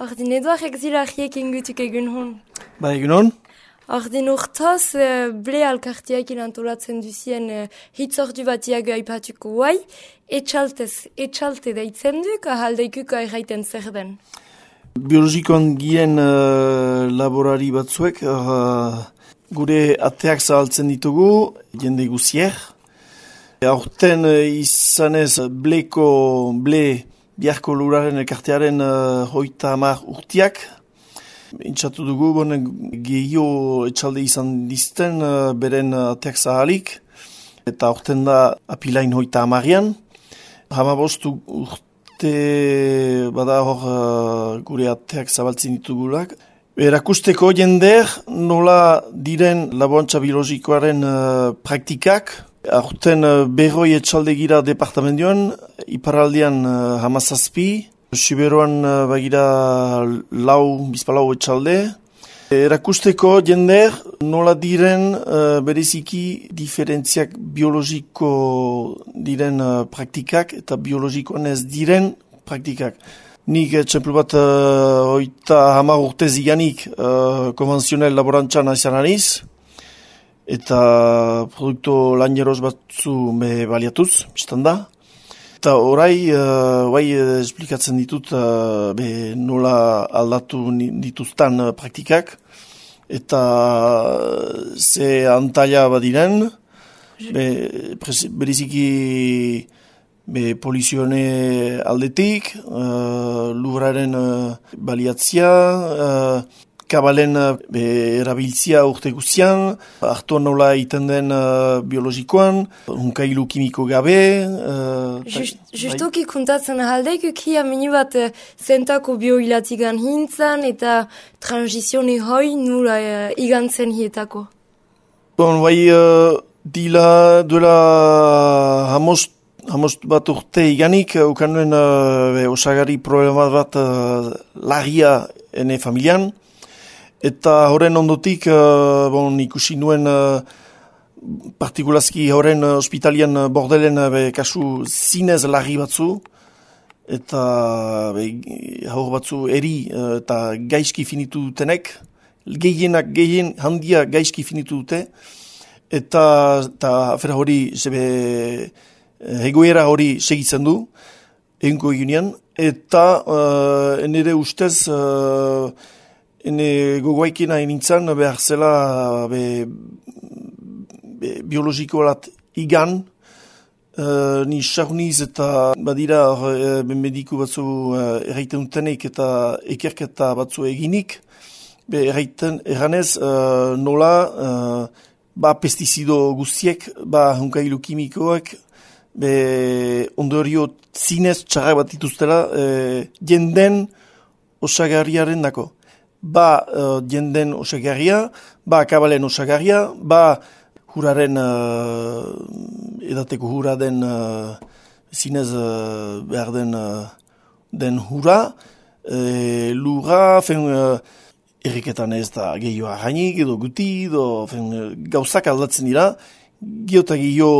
Ordin Eduardek zira ahiekin gutuk egun hon. Ba, egun hon? Ordin urtoz, ble alkartiakin antolatzen duzien hitzordu batiak aipatuko guai, etxalte daitzen duk, ahaldeikuko erraiten zer den. Biologikoan gien laborari batzuek, gure ateak zahaltzen ditugu, jende guzier. Aurten izanez ble biharko luraren elkartearen 30 urtiak. Intzatu dugu, gehio etxalde izan dizten beren ateak zahalik. Eta aurten da apilain 30an. 15 urte bada hor gure ateak zabaltzen ditugulak. Erakusteko jender nola diren laborantza biologikoaren praktikak. Aurten berroi etxalde gira departamentioan, iparaldean 17, Siberuan bagira bizpalau etxalde. Erakusteko jender nola diren bereziki diferentziak biologiko diren praktikak eta biologikoan ez diren praktikak. Nik txemplu bat 30 urte ziganik konvenzionel laborantzan izan naiz. Eta produkto lanjeroz batzu baliatuz, biztan da. Eta orai, esplikatzen ditut nola aldatu dituztan praktikak. Eta ze antaila badiren, bereziki polizione aldetik, lurraren baliatzia, kabalen erabiltzia urte guzian, hartuan nola iten den biologikoan, unkailu kimiko gabe. Justoki kuntatzen ahaldeik, ukia minu bat zentako bioilatigan hintzan eta transizione hoi nula igantzen hietako. Dila duela hamost bat urte iganik, ukanuen osagari problema bat larria ene familian. Eta horren ondotik, ikusi nuen partikulazki horren ospitalian bordelen kasu zinez larri batzu. Eta haur batzu eri eta gaizki finitu dutenek. Gehien handia gaizki finitu dute. Eta afera hori, egoera hori segitzen du, egunko egunean. Eta nire ustez... Hene gogoaikin hain nintzen behar zela biologikoalat igan, ni saruniz eta badira mediku batzu erraiten dutenek eta ekerketa batzu eginik, erranez nola pestizido guztiek, hunkailu kimikoak, ondorio zinez txarrak bat dituztela jenden osagarriaren dako. Jenden osagarria, kabalen osagarria, huraren, edateko hura den, zinez behar den hura, lura, erriketan ez da gehioa hainik, edo guti, gauzak aldatzen dira, gehiota gehio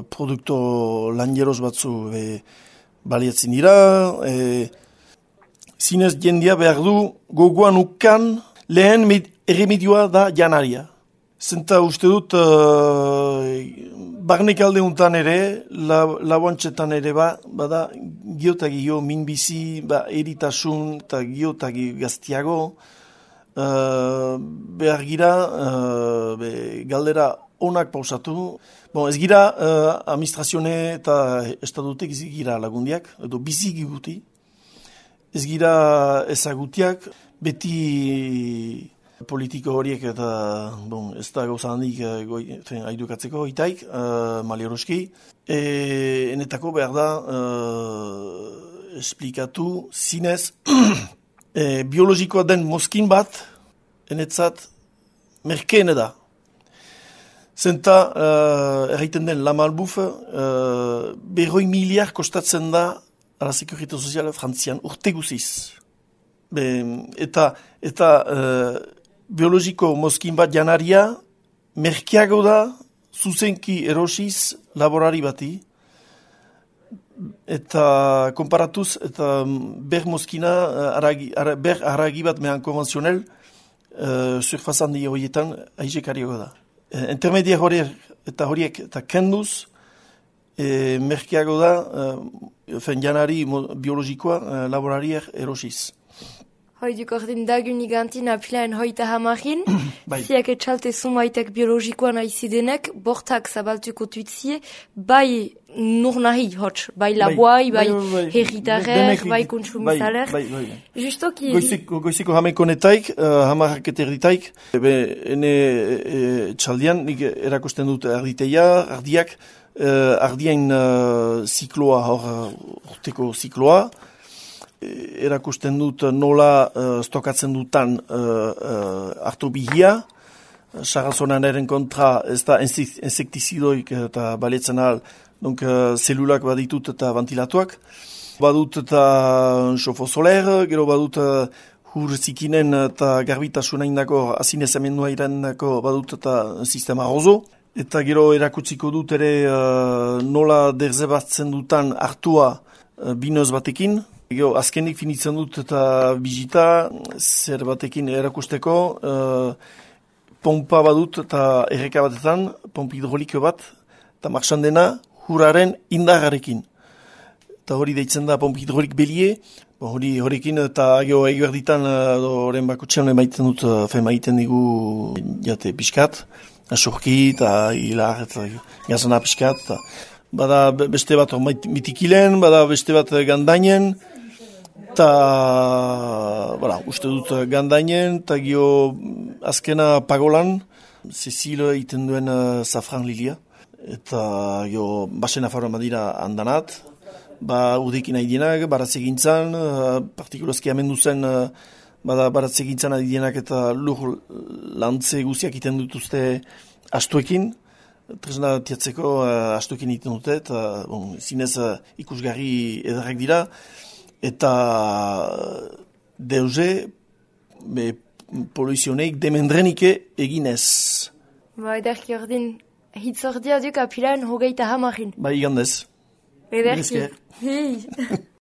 produkto lanjeroz batzu baliatzen dira, zinez jendia behar du gogoan ukan lehen erremedioa da janaria. Zenta uste dut barnek alde untan ere, laboantzetan ere bada gehiotagio minbizi, eritasun eta gehiotagio gaztiago. Behar gira galdera onak pausatu. Ez gira administrazione eta estadutek ez gira lagundiak, edo biziki guti. Ez gira ezagutiak, beti politiko horiek eta ez da gauza handik haidukatzeko itaik, malieroski. Enetako behar da esplikatu zinez biologikoa den mozkin bat, enetzat merkeene da. Zenta, erraiten den Lamalbuf, 100 miliar kostatzen da a la Sécurité Sociale frantzian urte guziz. Eta biologiko mozkin bat janaria merkeago da zuzenki erosiz laborari bati. eta konparatuz, eta ber mozkina, ber haragi bat mehan konvenzionel, surfazandi horietan aizekariago da. Intermedia horiek eta kenduz, merkeago da, janari biologikoa laborariak erosiz. Hoiduk ordin dagunik gantin apilaen hoita hamarin, Bai. ziak etxalte sumaitek biologikoan aizidenek, bortak zabaltuko tuitzie, bai nur nahi hots, bai laboai, bai herritarek, bai kontsumizaler. Justoki... Goiziko hamekonetaik, hamarrak eta erditaik, ene txaldian, nik erakusten dut ardiak, ardien zikloa, urteko zikloa, erakusten dut nola stokatzen dutan hartu bihia, sarrazonaren kontra ez da insektizidoik eta baletzen ahal, donc zelulak baditut eta ventilatuak. Badut eta xofo soler, gero badut hur zikinen eta garbitasuna indako azinez emendua irandako badut eta sistema ozo. Eta gero erakutsiko dut ere nola derzebatzen dutan hartua binoz batekin. Gero, azkenik finitzen dut eta bizita, zer batekin erakusteko, pompa badut eta erreka batetan, pompa hidroliko bat, eta marxan dena huraren indarrarekin. Eta hori deitzen da pompa hidrolik belie, horrekin eta ego erditan horren bakutxean emaiten dut, emaiten digu jate pixkat, asurki eta hilar eta gazana pixkat. Bada beste bat mitikilen, bada beste bat gandainen, eta, uste dut gandainen, eta gio azkena pagolan, Cecil iten duen safran lilia, eta gio basen afarroan badira handanat, udekin haidienak, baratzegintzan, partikulazki amendu zen, baratzegintzan haidienak eta lur lantze guziak iten dutuzte astuekin, tresna tiatzeko astuekin iten dute, eta zinez ikusgarri edarrak dira, eta deuze poluizioneik demendrenike eginez. Ederki ordin, hitzordia duk apilaen hogeita hamarin. Igandez. Ederki.